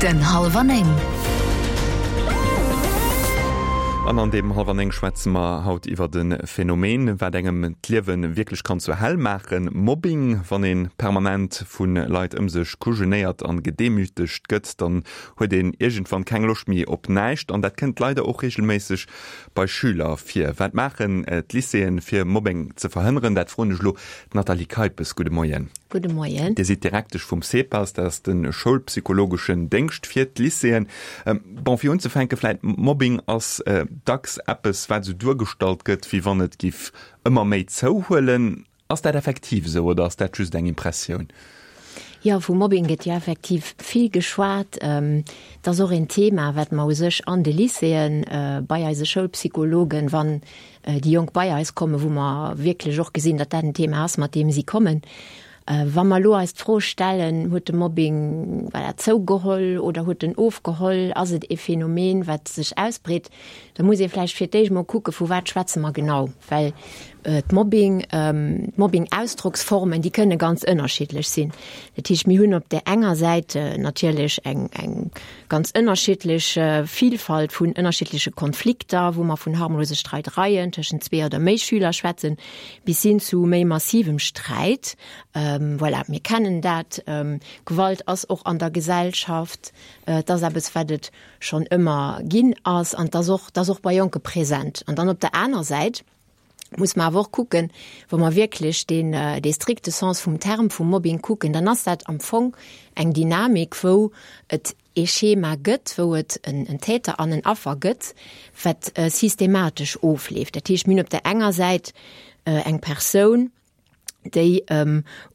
Den Hallwer 9. An an deem Hallwer 9 schwätze mer haut iwwert e Phänomen, wat engem d'Liewe wierklech kann zur Hell maachen, Mobbing. Wann ee permanent vu Leit ëm sech kujenéiert an gedemütegt gëtt, dann huet een iergendwann keng Loscht méi op näischt. An dat kënnt leider och reegelméisseg bei Schüler vir. Wat maachen d'Lycéeën, fir Mobbing ze verhënneren? Dat froen ech elo d'Nathalie Keipes. Gudde Moien. Gudde Moien. Dir sidd Direktesch vum CEPAS, dat ass de schoulpsychologeschen Déngscht fir d'Lycéeën. Bon, fir unzefänke vläit, Mobbing ass dacks eppes, wat esou duergestallt gëtt, wéi wann et giff ëmmer méi zouhuelen. Ass dat effektiv esou oder ass dat just eng Impressioun? Jo, vu Mobbing gëtt jo effektiv vill geschwat. Et ass och een Thema, wat mer u sech an de Lycéeën bei eise Schoulpsychologen, wann déi Jonk bei eis kommen, wou mer wierklech och gesinn, datt dat en Thema ass, mat deem si kommen. Wa mer elo eis d'Fro stellen, Huet de Mobbing, voilà, zougeholl oder huet en ofgeholl, ass et ee Phänomen, wat sech ausbreet, da muss ee vläicht fir d'éischt mol kucken, vu wat schwätze mer genau, well d'Mobbing, d'Mobbing-Ausdrocksformen, déi kënne ganz ënnerschiddlech sinn. Dat heescht, mir hunn op där enger Säit natierlech eng, eng Ganz ënnerschiddlech Vielfalt vun ënnerschiddleche Konflikter, wou mer vun harmlose Streidereien tëschent zwee oder méi Schüler schwätzen, bis hin zu méi massivem Sträit. Voilà, mir kennen dat. Gewalt ass och an der Gesellschaft. Et ass eppes, wat et schonn ëmmer ginn ass an et ass och, et ass och bei Jonke present. An dann op der aner Säit muss mer awer och kucken, wa mer wierklech deen, dee strikte Sens vum Term vum Mobbing kucken, dann ass dat am Fong eng Dynamik, wou et ee Schema gëtt, wou et en Täter an en Affer gëtt, wat systematesch ofleeft. Dat heescht, mir hunn op där enger Säit eng Persoun, déi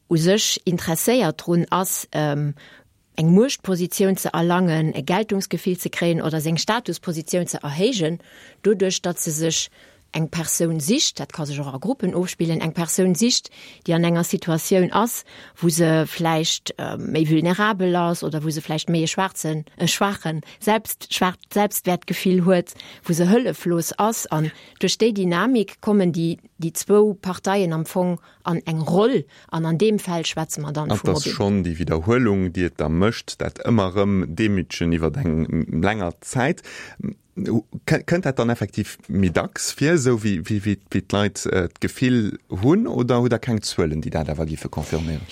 u sech interesséiert drun ass, eng Muechtpositioun ze erlangen, e Geltungsgefill ze kréien oder seng Statuspositioun ze erhéijen, doduerch datt se sech eng Persoun sicht, dat ka sech och a Gruppen ofspillen, eng Persoun sicht, déi an enger Situatioun ass, wou se vläicht méi vulnerabel ass oder wou se vläicht méi e schwaarzen, e schwaache Selbst, schwaacht Selbstwäertgefill huet, wou se hëlleflos ass. An duerch déi Dynamik kommen déi, déi zwou Parteien am Fong an eng Roll, an an deem Fäll schwätze mer dann vu Mobbing. Et ass schonn déi Widderhuelung, déi et da mécht, dat ëmmer erëm Demütegen iwwer eng länger Zäit. Kënnt dat dann effektiv méi dacks vir, esou wéi d'Leit d'Gefill hunn, oder hutt Der keng Zuelen, déi dat awer géife confirméieren?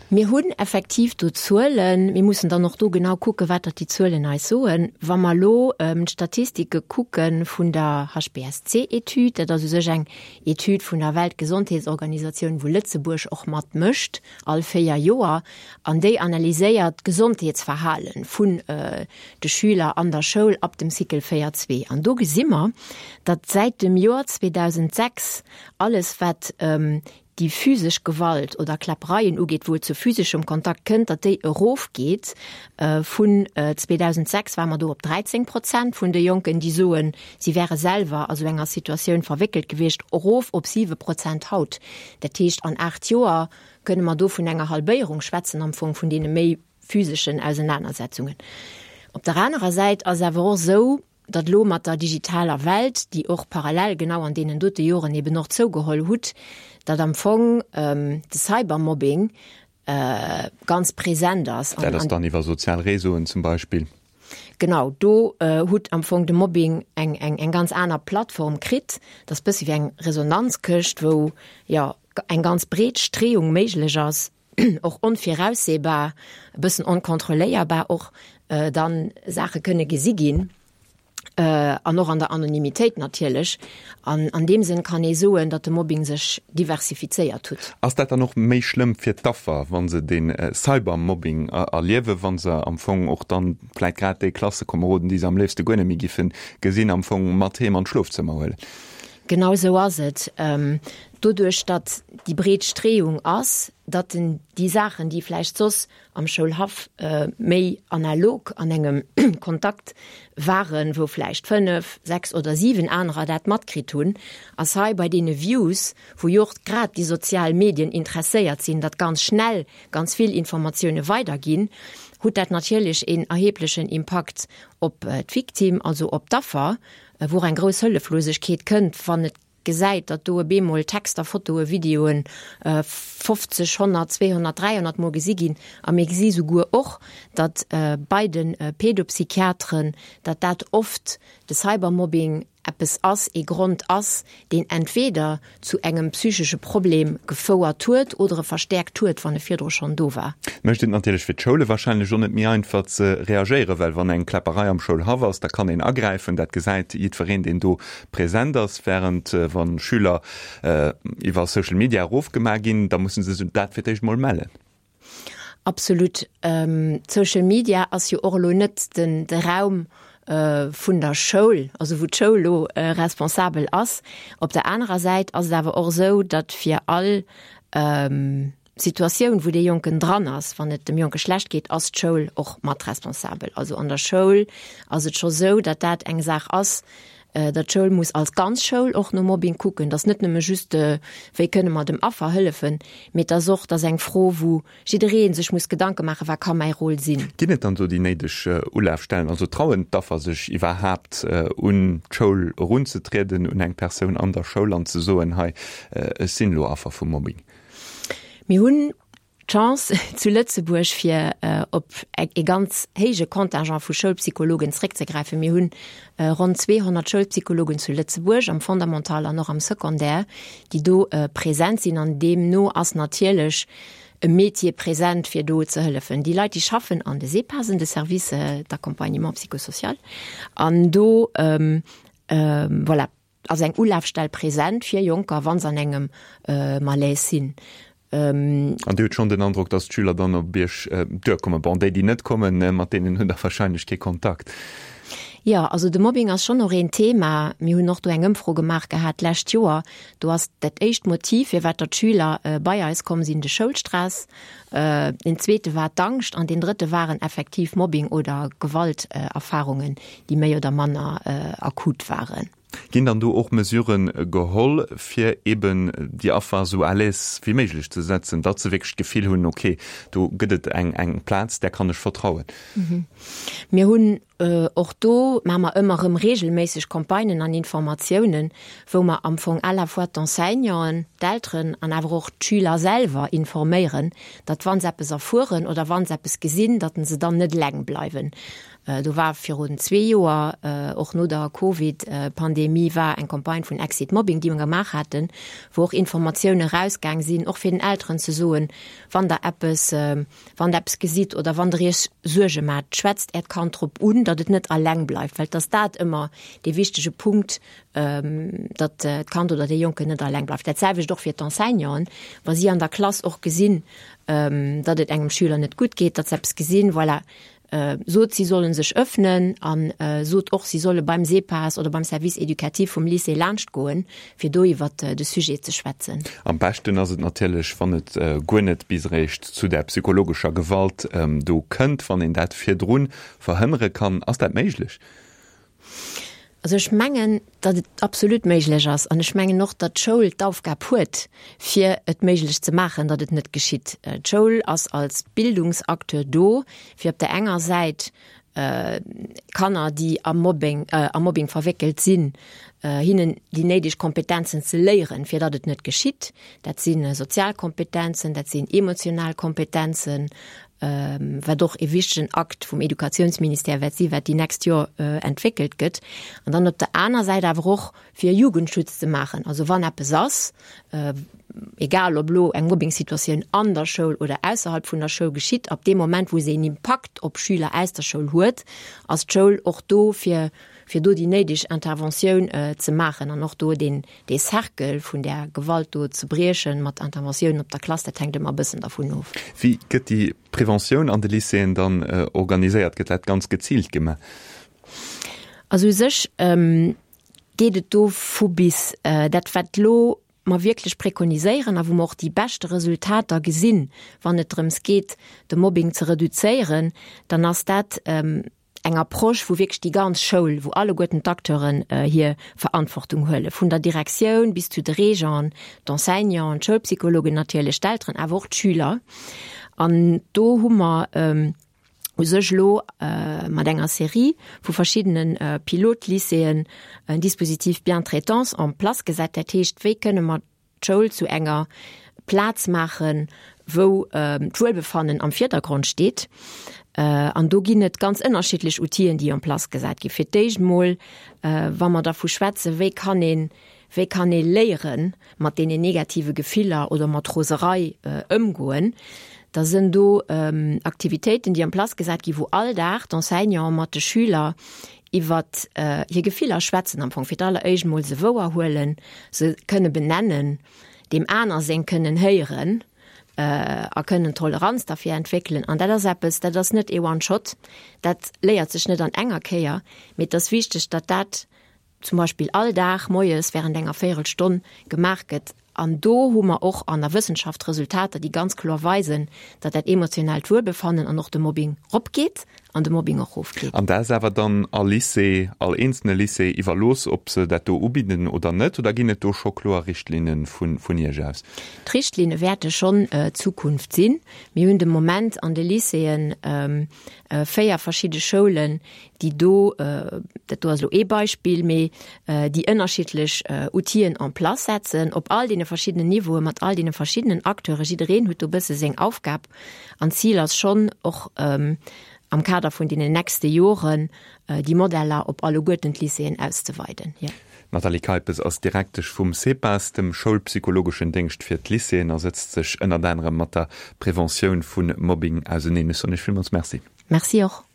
Mir hunn effektiv do Zuelen. Mir mussen dann och do genau kucken, wat datt déi Zuelen eis soen. Wa mer elo d'Statistike kucke vun der HBSC-Etüd, dat ass u sech eng Etüd vun der Weltgesondheetsorganisatioun, wou Lëtzebuerg och mat mécht, all 4 Joer, an déi analyséiert d'Gesondheetsverhale vun de Schüler an der Schoul ab dem Cycle 4 zwee. An do gesi mer, datt säit dem Joer 2006 alles wat déi physesch Gewalt oder Kläppereien ugeet, wou et zu physeschem Kontakt kënnt, datt déi erofgeet. Vun 2006 ware mer do op 13 Prozent vun de Jonken, déi soen, si wäre selwer a sou enger Situatioun verwéckelt gewiescht, erof op 7 Prozent haut. Dat heescht, an 8 Joer kënne mer do vun enger Halbéierung schwätzen am Fong vun deene méi physeschen Ausenanersetzungen. Op der anerer Säit ass awer och esou, datt elo mat der digitaler Welt, déi och parallel genau an deenen dote Joren eben och zougeholl hutt, datt am Fong de Cybermobbing ganz present ass. Dat ass dann iwwer sozial Réseauen zum Beispill. Genau, do hutt am Fong de Mobbing eng, eng, eng ganz aner Plattform kritt. Dat ass bëssi wéi eng Resonanzkëscht, wou, jo, eng ganz breet Streeung méiglech ass, och onvirausseebar, e bëssen onkontrolléierbar och dann Saache kënne gesi ginn. An och an der Anonymitéit natierlech. An an deem Sënn kann ee soen, datt de Mobbing sech diversifizéiert hutt. Ass dat dann och méi schlëmm fir d'Affer, wa se dee Cybermobbing erliewen, wa se am Fong och dann vläit grad déi Klassekomeroden, déi se am léifste guer net méi giffe gesinn, am Fong mat heem an d'Schlofzëmmer huelen? Genau esou ass et. Doduerch, datt déi breet Streeung ass, datt en déi Saachen, déi vläicht soss am Schoulhaff méi analog an engem Kontakt waren, wou vläicht 5, 6 oder 7 anerer dat matkritt hunn, ass hei bei deene Views, wou jo och grad déi sozial Medien interesséiert sinn, datt ganz schnell ganz vill Informatioune weiderginn, hutt dat natierlech een erheblechen Impakt op d'Victime, also op d'Affer, wou och eng grouss Hëlleflosegkeet kënnt, wann et. gesäit, datt do e bemol Texter, Fotoe, Videoen 50, 100, 200, 300 Mol gesi ginn. A mir gesi souguer och, datt bei de Pedopsychiateren, datt dat oft de Cybermobbing eppes ass, ee Grond ass, deen entweder zu engem psychesche Problem gefouert huet oder e verstäerkt huet, wann e virdru schonn do war. Mécht et natierlech fir d'Schoule wahrscheinlech och net méi einfach ze reagéieren, well wann eng Kläpperei am Schoulhaff ass, da kann een agräifen, dat gesäit jiddwereen, deen do present ass, während wa Schüler iwwer Social Media erofgemaach ginn, da musse se dat fir d'éischt mol mellen. Absolut. Social Media ass jo och elo net den de Raum vun der Schoul, also wou d'Schoul elo responsabel ass. Op der anerer Säit ass et awer och esou, datt fir all Situatioun, wou dee Jonken dran ass, wann et dem Jonke schlecht geet, ass d'Schoul och mat responsabel. Also an der Schoul ass et scho sou, datt dat eng Saach ass, datt d'Schoul muss als ganz Schoul och no Mobbing kucken, datt net nëmme just, wéi kënne mer dem Affer hëllefen, mee et ass och, et ass eng Fro, wou jidderee sech muss Gedanke maachen, wat ka mäi Rôle sinn. Ginn et dann do déi néideg Ulafstellen? Also trauen d'Affer sech iwwerhaapt un d'Schoul erunzetrieden, un eng Persoun an der Schoul an ze soen, hei, ech sinn elo Affer vu Mobbing? Mir hunn d'Chance zu Lëtzebuerg fir op e ganz héije Contingent vu Schoulpsychologen zréckzegräifen. Mir hunn ronn 200 Schoulpsychologen zu Lëtzebuerg am Fondamental an och am Secondaire, déi do present sinn. An deemno ass natierlech e Métier present, fir do ze hëllefen. Déi Leit, déi schaffen an de SEPASen, de Services d'accompagnement psychosocial, an do, voilà, Ass eng Ulafstell present fir Jonker, wa se an engem Malaise sinn? An Dir hutt schonn den Androck, dass d'Schüler dann op Iech duerkommen? Bon, déi, déi net kommen, mat deenen hutt Der warscheinlech kee Kontakt. Jo, also de Mobbing ass schonn och een Thema. Mir hunn och do eng Ëmfro gemaach gehat d'lescht Joer. Do ass dat éischt Motiv, firwat der d'Schüler bei eis komm sinn, de Schoulstress. Deen zweete war d'Angscht an deen drëtte waren effektiv Mobbing oder Gewalterfarungen, déi méi oder manner akut waren. Ginn dann do och Mesuren geholl, fir eben déi Affer esou à l'aise wéi méiglech ze setzen, datt se wierklech d'Gefill hunn, okay, do gëtt et eng eng Plaz, där kann ech vertrauen? Mir hunn och do maache mer ëmmer erëm reegelméisseg Campagnen an Informatiounen, wou mer am Fong à la fois d'Enseignanten, d'Elteren an awer och d'Schüler selwer informéieren, datt wa se eppes erfueren oder wa se eppes gesinn, datt se dann net eleng bleiwen. Do war virun zwee Joer, och no der Covid-Pandemie, war eng Campagne vun Exit Mobbing, déi mer gemaach haten, wou och Informatioune rausgaang sinn, och fir den Elteren ze soen, wann der eppes, wann der eppes gesitt oder wann der iech Suerge maacht, schwätzt äert Kand drop un, datt et net alleng bleift, well et ass dat ëmmer dee wichtege Punkt, datt d'Kand oder dee Jonken net alleng bleift. Dat selwecht och fir d'Enseignanten, wa si an der Klass och gesinn, datt et engem Schüler net gutt geet, datt se eppes gesinn, voilà, Sot, si solle sech ëffnen a sot och, si solle beim SEPAS oder beim Service éducatif vum Lycée laanschtgoen, fir do iwwert de Sujet ze schwätzen. Am beschten ass et natierlech, wann et guer net bis eréischt zu där psychologescher Gewalt do kënnt, wann een dat virdru verhënnere kann. Ass dat méiglech? Also ech mengen, datt et absolut méiglech ass an ech mengen och, datt d'Schoul d'Aufgab huet, fir et méiglech ze maachen, datt et net geschitt. D'Schoul ass als Bildungsacteur do, fir op der enger Säit Kanner, déi am Mobbing, am Mobbing verwéckelt sinn, hinnen déi néideg Kompetenzen ze léieren, fir datt et net geschitt. Dat si sozial Kompetenzen, dat sinn emotional Kompetenzen, wat och e wichtegen Akt vum Educatiounsministère wäert si wat déi nächst Joer entwéckelt gëtt. An dann op der aner Säit awer och fir Jugendschutz ze maachen. Also wann eppes ass, egal ob elo eng Mobbing-Situatioun an der Schoul oder ausserhalb vun der Schoul geschitt, ab deem Moment wou se een Impakt op Schüler aus der Schoul huet, ass d'Schoul och do fir fir do déi néideg Interventioun ze maachen an och do deen dee Cercle vun där Gewalt do ze briechen mat Interventiounen op der Klass, dat hänkt ëmmer e bëssen dervun of. Wéi gëtt déi Preventioun an de Lycéeën dann organiséiert? Gëtt dat ganz geziilt gemaach? Also u sech geet et do vu bis. Dat wat elo mer wierklech prekoniséieren a wou mer och déi beschte Resultater gesinn, wann et drëms geet, de Mobbing ze reduzéieren, dann ass dat, eng Approche, wou wierklech déi ganz Schoul, wou alleguerten d'Acteuren hir Verantwortung huelen, vun der Direktioun bis zu de Régenten, d'Enseignanten, d'Schoulpsychologen natierlech, d'Elteren, awer och d'Schüler. An do hu mer. U sech elo mat enger Serie vu verschiddene Pilotlycéeën en Dispositif Bientraitance en place gesat. Dat heescht, wéi kënne mer d'Schoul zu enger Plaz maachen, wou d'Wuelbefannen am Virdergrond steet? An do ginn et ganz ënnerschiddlech Outiller, déi en place gesat ginn. Fir d'éischt emol, wa mer dervu schwätzen, wéi kann een Wéi kann ee léieren, mat deenen negative Gefiller oder mat Roserei ëmgoen? Da sënn do Aktivitéiten, déi en place gesat ginn, wou all Dag d'Enseignanten mat de Schüler iwwert hir Gefiller schwätzen, am Fong fir d'alleréischt mol se wouerhuelen, se kënne benennen, deem aner seng kënnen héieren a kënnen Toleranz derfir entwéckelen. An dat ass eppes, dat ass net ee One-Shot, dat léiert sech net an enger Kéier, mee et ass wichteg, datt dat zum Beispill all Dag moies während enger Véierelstonn gemaach gëtt. An do hu mer och an der Wëssenschaft Resultater, déi ganz kloer weisen, datt dat emotionellt Wuelbefannen an och de Mobbing ropgeet an de Mobbing och rofgeet. An dat ass awer dann all Lycée, all eenzelne Lycée iwwerlooss, ob se dat do ubidden oder net? Oder ginn et do scho kloer Richtlinne vun Iech aus? D'Richtlinne wäerte schonn d'Zukunft sinn. Mir hunn de Moment an de Lycéeën 4 verschidde Schoulen, déi do, dat do ass elo ee Beispill, mee déi ënnerschiddlech Outill'en en place setzen, op all deene verschiddenen Niveauen, mat all deene verschiddenen Acteuren. Jiddereen huet do e bësse seng Aufgab an d'Zil ass schonn och am Kader vun deenen nächste Joren déi Modeller op alleguerten d'Lycéeën auszeweiden. Jo. D'Nathalie Keipes ass Direktesch vum CEPAS, dem schoulpsychologeschen Déngscht fir d'Lycéeën, a sëtzt sech ënnert anerem mat der Preventioun vu Mobbing auseneen. Ech soen Iech villmools Merci. Merci och.